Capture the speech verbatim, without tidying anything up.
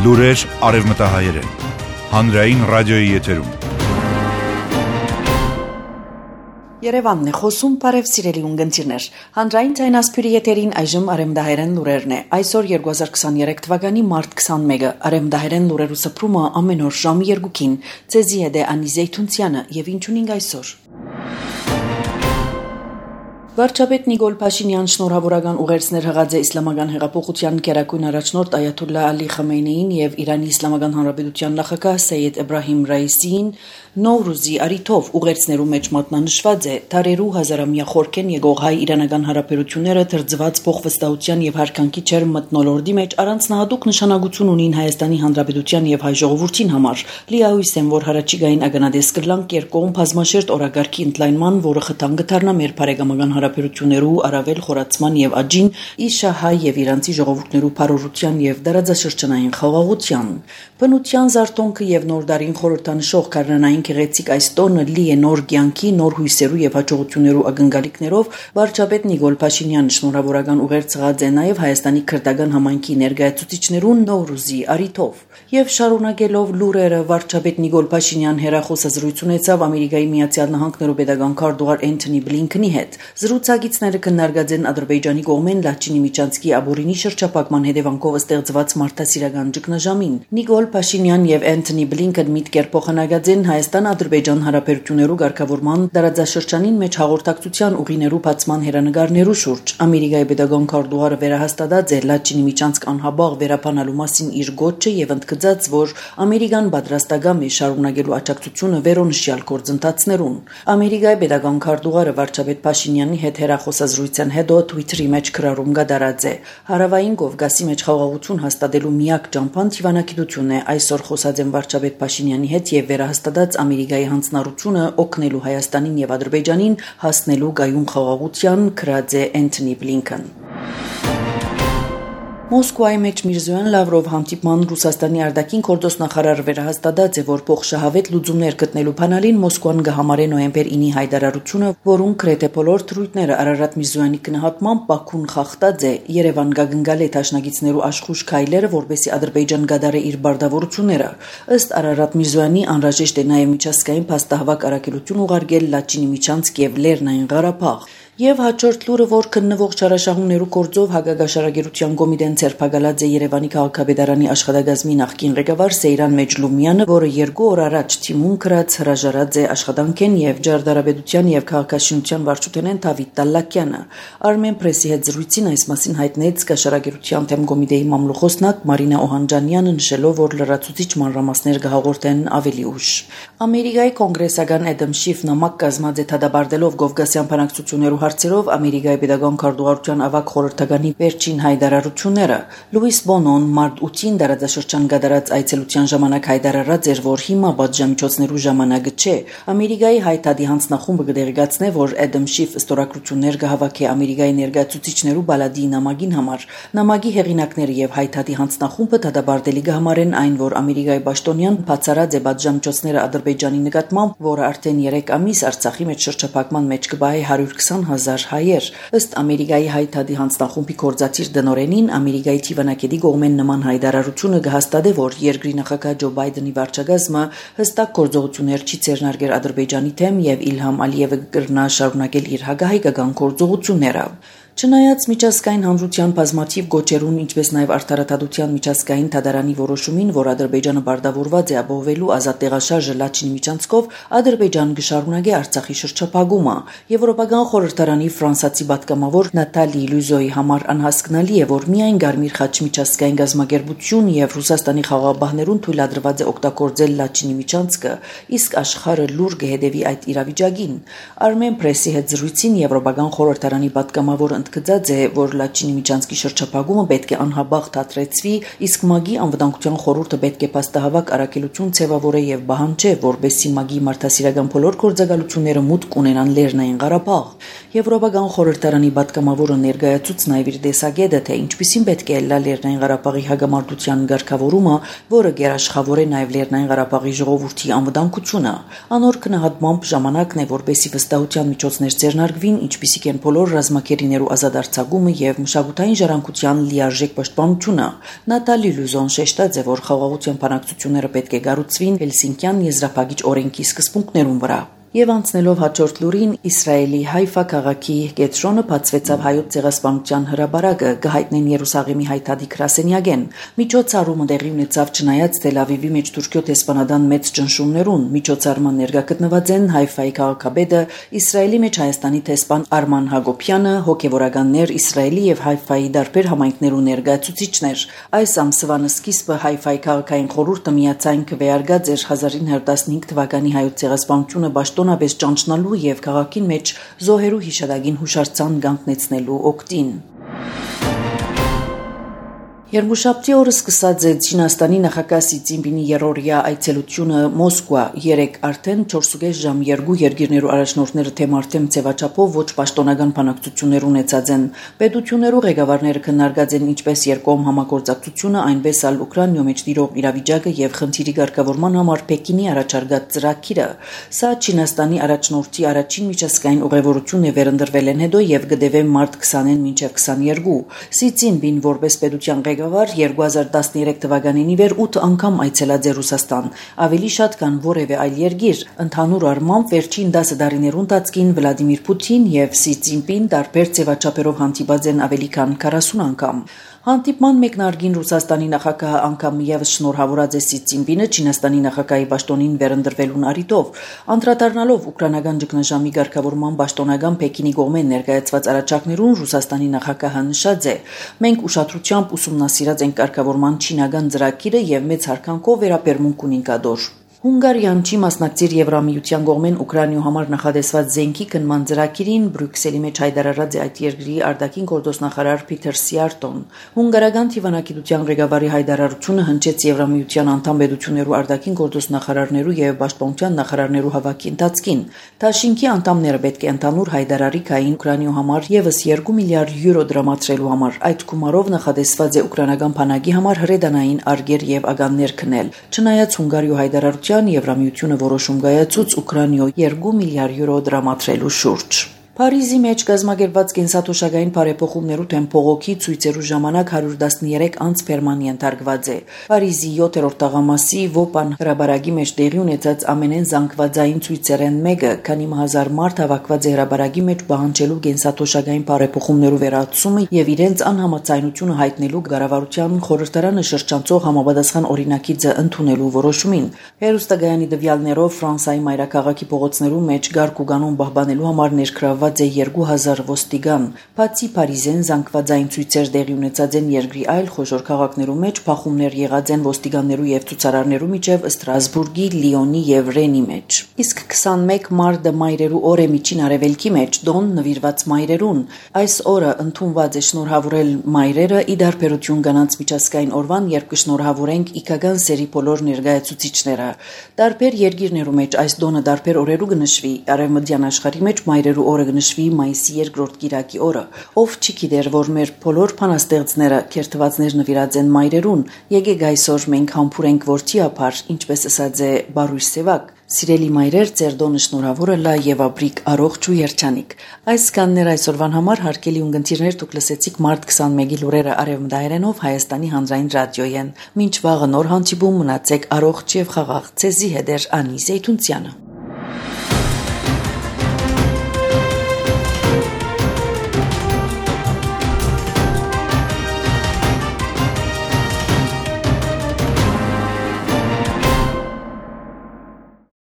Լուրեր արևմտահայերեն, հանրային ռադիոյի եթերում։ Երևանն է խոսում, բարև սիրելի ունգընտիրներ։ Հանրային ձայնասփյուրի եթերին այժմ արևմտահայերեն լուրերն է։ Այսօր երկու հազար քսաներեք թվականի մարտ քսանմեկը արևմտահայերեն լուրերու սփռումը ամեն օր ժամը երկուքին։ Ձեզի հետ է Անի Զեյթունցյանը եւ ինչ ունենք այսօր։ Վարչապետ Նիկոլ Փաշինյան շնորհավորական ուղերձներ հղած է Իսլամական հեղափոխության գերագույն առաջնորդ Այաթոլլահ Ալի Խամենեին եւ Իրանի Իսլամական Հանրապետության նախագահ Սեյեդ Էբրահիմ Ռայիսիին Նովրուզի արիթով ուղերձներու մեջ մատնանշված է թարերու հազարամյա խորքեն եկող հայ-իրանական հարաբերությունները թրձված փոխվստահության եւ հարկանքի չեր մթնոլորտի մեջ առանձնահատուկ նշանակություն ունին Հայաստանի Հանրապետության եւ հայ ժողովրդին համար։ Լիահույս եմ, որ հարաճիգային ագանադես կլանք երկկողմ բազմաշերտ օրագարկի ընդլայնման, որը խթան կդառնա մեր բարեկամական հարաբերություններու առավել խորացման եւ աճին, իշա հայ եւ իրանցի ժողովուրդներու բարօրության եւ դարաձաշրջանային խաղաղության։ Բնության զարթոնքը եւ նոր դարին խորհրդանշող քարնանային գեղեցիկ այս տոնը լի է նոր կյանքի, նոր հույսերու եւ հաջողություններու ակնկալիքներով վարչապետ Նիկոլ Փաշինյանը շնորհավորական ուղերձ հղած է նաեւ Հայաստանի քրդական համայնքի ներկայացուցիչներուն Նովրուզի արիթով եւ շարունակելով լուրերը վարչապետ Նիկոլ Փաշինյան հերախոսազրույց ունեցավ Ամերիկայի Միացյալ Նահանգներու պետական քարտուղար Էնթոնի Բլինքենի հետ։ Զրուցակիցները քննարկած են Ադրբեջանի կողմեն Լաչինի միջանցքի աբորինի շրջափակման հետևանքով ստեղծված մարդասիրական ճգնաժամին։ Նիկոլ Փաշինյան եւ Էնթոնի Բլինքեն միտքեր փոխանակած են Հայաստան-Ադրբեջան հարաբերություններու ղեկավարման դարաձաշրջանին մեջ հաղորդակցության ուղիներու բացման հերանեկարներու շուրջ։ Ամերիկայի պետական քարտուղարը վերահաստատած է Լաչինի միջանցք անհաբաղ վերապանալու մասին իր գոչը եւ ընդգծած, որ Ամերիկան պատրաստական է շարունակելու աջակցությունը վերոնշյալ գործընթացներուն։ Ամերիկայի պետական քարտուղարը վարչապետ Փաշինյանի հետ հերախոսազրույցեն հետո Twitter-ի մեջ գրառում կդարած է։ Հարավային Կովկասի մեջ խաղաղություն հաստատելու միակ ճամփան թիվանակիտությունն է։ Այսօր խոսած են վարչապետ Փաշինյանի հետ եւ վերահաստատած Ամերիկայի հանձնառությունը օգնելու Հայաստանին եւ Ադրբեջանին հասնելու գայուն խաղաղության, գրած է Էնթոնի Բլինքեն։ Մոսկվայի մեջ Միրզոյան Լավրով հանդիպման Ռուսաստանի արտաքին գործոստնախարար վերահաստատած է, որ փոխշահավետ լուծումներ գտնելու բանալին Մոսկվան կհամարե նոյեմբեր ինի հայտարարությունը, որում գրեթե բոլոր թրույթները Արարատ Միրզոյանի գնահատմամբ Բաքուն խախտած է։ Երևան կգնգալ է դաշնակիցներու աշխուժ քայլերը, որպեսզի Ադրբեջան գդարի իր բարդավորությունները։ Ըստ Արարատ Միրզոյանի անհրաժեշտ է նաև միջազգային փաստահավաք առաքելություն ուղարկել Լաչինի միջանցք եւ Լեռնային Ղարաբաղ։ Եվ հաջորդ լուրը, որ քննվող չարաշահումներու կորձով հագագաշարագիտության կոմիտեն ցերպակալած է Երևանի քաղաքապետարանի աշխատակազմի նախկին ղեկավար Սեյրան Մեջլումյանը, որը երկու օր առաջ թիմուն գրած հրաժարած է աշխատանքեն եւ ջարդարաբեդության եւ քաղաքաշինության վարչութենեն Դավիթ Տալլակյանը։ Armen Press-ի հետ զրույցին այս մասին հայտնեց գաշարագիտության թեմ կոմիտեի մամլոխոսնակ Մարինա Օհանջանյանը, նշելով, որ լրացուցիչ մանրամասներ կհաղորդեն ավելի ուշ։ Ամերիկայի կոնգրեսական Էդամ Շիֆ նամակ կազմած է դադարելով Կովկասյան բանակցություններու հարցերով Ամերիկայի պետական քարտուղարության ավագ խորհրդականի վերջին հայտարարությունները։ Լուիս Բոնոն մարտ ութին դարաձաշրջան կատարած այցելության ժամանակ հայտարարած էր, որ հիմա պատժամիջոցներու ժամանակը չէ։ Ամերիկայի հայտարարի հանձնախումբը կդեղեկացնե, որ Էդամ Շիֆ ստորագրություններ կհավաքի Ամերիկայի ներկայացուցիչներու բալադի նամակին համար։ Նամակի հեղինակները եւ հայտարարի հանձնախումբը դադարելի կհամարեն այն, որ Ամերիկայի պաշտոնյան բացառած է պատժամիջոցները Ադրբեջանի նկատմամբ, որը արդեն երեք ամիս Արցախի մեջ շրջափակման մեջ կբահի հարյուր քսան հազար հայեր։ Ըստ Ամերիկայի հայտարարի հանձնախումբի գործադիր դնորենին Ամերիկայի թիվանակետի կողմեն նման հայտարարությունը կհաստատե, որ երկրի նախագահ Ջո Բայդենի վարչակազմը հստակ գործողություններ չի ձեռնարկել Ադրբեջանի դեմ եւ Իլհամ Ալիևը կգրնա շարունակել իր հակահայկական գործողությունները։ Չնայած միջազգային հանրության բազմաթիվ գոչերուն, ինչպես նաև արդարադատության միջազգային դատարանի որոշումին, որ Ադրբեջանը բարդավորված է ապահովելու ազատ տեղաշարժը Լաչինի միջանցքով, Ադրբեջանը կշարունակի Արցախի շրջափակումը։ Եվրոպական խորհրդարանի ֆրանսացի պատգամավոր Նատալի Լյուզոյի համար անհասկանալի է, որ միայն Գարմիր խաչ միջազգային գազམ་ագերբություն եւ Ռուսաստանի խաղաղապահներուն թույլատրված է օգտագործել Լաչինի միջանցքը, իսկ աշխարհը լուր կհետևի այդ իրավիճակին։ Armen Press-ի հետ զրույցին Եվրոպական խորհրդարանի պատգամավոր ընդգծած է, որ Լաչինի միջանցքի շրջափակումը պետք է անհաբաղ դադրեցվի, իսկ ՄԱԳ-ի անվտանգության խորհուրդը պետք է փաստահավաք առաքելություն ձևավորե եւ պահանջե, որպեսզի ՄԱԳ-ի մարդասիրական բոլոր գործակալությունները մուտք ունենան Լեռնային Ղարաբաղ։ Եվրոպական խորհրդարանի պատգամավորը ներկայացուց նաեւ իր տեսակետը, թե ինչպիսին պետք է լա Լեռնային Ղարաբաղի հագամարտության ղեկավարումը, որը գերաշխավոր է նաեւ Լեռնային Ղարաբաղի ժողովրդի անվտանգությունը։ Անոր գնահատմամբ ժամանակն է, որպեսզի վստահության միջոցներ ձեռնարկվին, ինչպիսիք են բոլոր ռազմակերիներու ազատարձակումը եւ մշակութային ժառանգության լիարժեք պաշտպանությունը։ Նատալի Լյուզոն շեշտած է, որ խաղաղության բանակցությունները պետք է գառուցվին Հելսինկյան եզրափակիչ օրենքի սկզբունքներուն վրա։ Եվ անցնելով հաջորդ լուրին, Իսրայելի Հայֆա քաղաքի կետրոնը բացվեցավ հայոց ցեղասպանության հրաբարակը գահիտնեն Երուսաղեմի հայտադի գրասենյակեն։ Միջոցառումը տեղի ունեցավ չնայած Թել Ավիվի մեջ Թուրքիո տեսփանադան մեծ ճնշումներուն։ Միջոցառման ներկա գտնված են Հայֆայի քաղաքապետը, Իսրայելի մեջ Հայաստանի տեսփան Արման Հակոբյանը, հոգևորականներ, Իսրայելի եւ Հայֆայի դարբեր համայնքներու ներկայացուցիչներ։ Այս ամսվան սկիզբը Հայֆայի քաղաքային խորհուրդը միացայն քվեարկած էր հազար ինը հարյուր տասնհինգ թվականի հայոց ցեղասպանությունը տոնաբես ճանչնալու եւ քաղաքին մեջ զոհերու հիշադակին հուշարձան գանքնեցնելու օգտին։ Երկուշաբթի օրը սկսած է Չինաստանի նախագահ Սի Ցզինպինի երրորդյա այցելությունը Մոսկվա, երեք արդեն չորսուկես ժամ երկու երկիրներու առաջնորդները թեմարտեմ ցեվաչափով ոչ պաշտոնական բանակցություններ ունեցած են։ Պետություններու ղեկավարները քննարկած են ինչպես երկկողմ համագործակցությունը, այնպես ալ Ուկրաինայում մեջ տիրող իրավիճակը եւ խնդիրի ղեկավարման համար Պեկինի առաջարկած ծրագիրը։ Սա Չինաստանի առաջնորդի առաջին միջազգային ուղևորությունն է վերընտրվել են հետո եւ գտեւե մարտ քսանին մինչեւ քսաներկու։ Սի Ցզինպին որպես պետության ղեկավար երկու հազար տասներեք թվականին ի վեր ութ անգամ այցելած է Ռուսաստան, ավելի շատ քան որևէ այլ երկիր։ Ընդհանուր առմամբ վերջին դասը տարիներուն ընթացքին Վլադիմիր Պուտին եւ Սի Ցզինպին տարբեր ձևաչափերով հանդիպած են ավելի քան քառասուն անգամ։ Հանդիպման մեկնարկին Ռուսաստանի նախագահը անգամ եւս շնորհավորած է Սի Ցզինպինը Չինաստանի նախագահի պաշտոնին վերընտրվելուն առիթով, անդրադառնալով ուկրաինական ճգնաժամի ղեկավարման պաշտոնական Պեկինի կողմեն ներկայացված առաջարկներուն Ռուսաստանի նախագահը նշած է. «Մենք ուշադրությամբ ուսումնասիրած ենք ղեկավարման չինական ծրագիրը եւ մեծ հարկանքով վերաբերմունք ունենք ադոր»։ Հունգարիան չի մասնակցիր Եվրամիության կողմեն Ուկրաինայու համար նախադեсված զենքի քննման ծրագիրին Բրյուսելի մեջ հայտարարած է այդ երկրի արտաքին գործոստնախարար Փիթեր Սիարտոն։ Հունգարական թիվանակիտության ղեկավարի հայտարարությունը հնչեց Եվրամիության անդամ պետություններու արտաքին գործոստնախարարներու եւ պաշտպանության նախարարներու հավաքի ընթացքին։ Դաշինքի անդամները պետք է ընդհանուր հայտարարի կային Ուկրաինայու համար եւս երկու միլիարդ յուրո դրամատրելու համար։ Այդ գումարով նախադեсված է ուկրաինական բանակի համար հրետանային արգեր եւ ագաններ քնել։ Չնայած Հունգարիու հայտարարության Եվրամիությունը որոշում կայացուց Ուկրաինայու երկու միլիարդ յուրո դրամատրելու շուրջ։ Փարիզի մեջ կազմակերպված կենսաթոշակային բարեփոխումներու դեմ փողոքի ցույցերու ժամանակ հարյուր տասներեք անց Պերմանի ընթարգված է։ Փարիզի յոթերորդ տաղամասի Վոպան հրաբարակի մեջ տեղի ունեցած ամենեն զանգվածային ցույցերեն մեկը, քանի հազար մարդ հավաքված է հրաբարակի մեջ պահանջելու կենսաթոշակային բարեփոխումներու վերացումը եւ իրենց անհամաձայնությունը հայտնելու կառավարության խորհրդարանը շրջանցող համապատասխան օրինակիցը ընդունելու որոշումին։ Հերոստագայանի դվյալներով Ֆրանսիայի մայրաքաղաքի փողոցներու մեջ գարկ ու կանոն պահպանելու համար ներգրավված է երկու հազար ոստիկան։ Բացի Փարիզեն զանգվածային ցույցեր տեղի ունեցած են երկրի այլ խոշոր քաղաքներու մեջ, փախումներ եղած են ոստիկաններու եւ ցուցարարներու միջև Ստրասբուրգի, Լիոնի եւ Ռենի մեջ։ Իսկ քսանմեկ մարտը մայրերու օր է միջին արևելքի մեջ, դոն նվիրված մայրերուն։ Այս օրը ընդունված է շնորհավորել մայրերը՝ ի դարբերություն կանանց միջազգային օրվան, երբ կշնորհավորենք իքական սերի բոլոր ներկայացուցիչները։ Տարբեր երկիրներու մեջ այս դոնը տարբեր օրերու կնշվի։ Արևմտյան աշխարհի մեջ մայրերու օրը նշվի մայիսի երկրորդ կիրակի օրը։ Ով չի գիտեր, որ մեր բոլոր բանաստեղծները քերթվածներ նվիրած են մայրերուն։ Եկեք այսօր մենք համբուրենք որդի ապար, ինչպես ասած է Բարույր Սևակ։ Սիրելի մայրեր, ձեր դոնը շնորհավորը լա եւ ապրիկ առողջ ու երջանիկ։ Այս կաններ այսօրվան համար հարգելի ունգընտիրներ, դուք լսեցիք մարտ քսանմեկի լուրերը արևմտահայերենով Հայաստանի հանրային ռադիոյեն։ Մինչ վաղը նոր հանդիպում, մնացեք առողջ եւ խաղաղ։ Ցեզի հետ է Անի Զեյթունցյանը։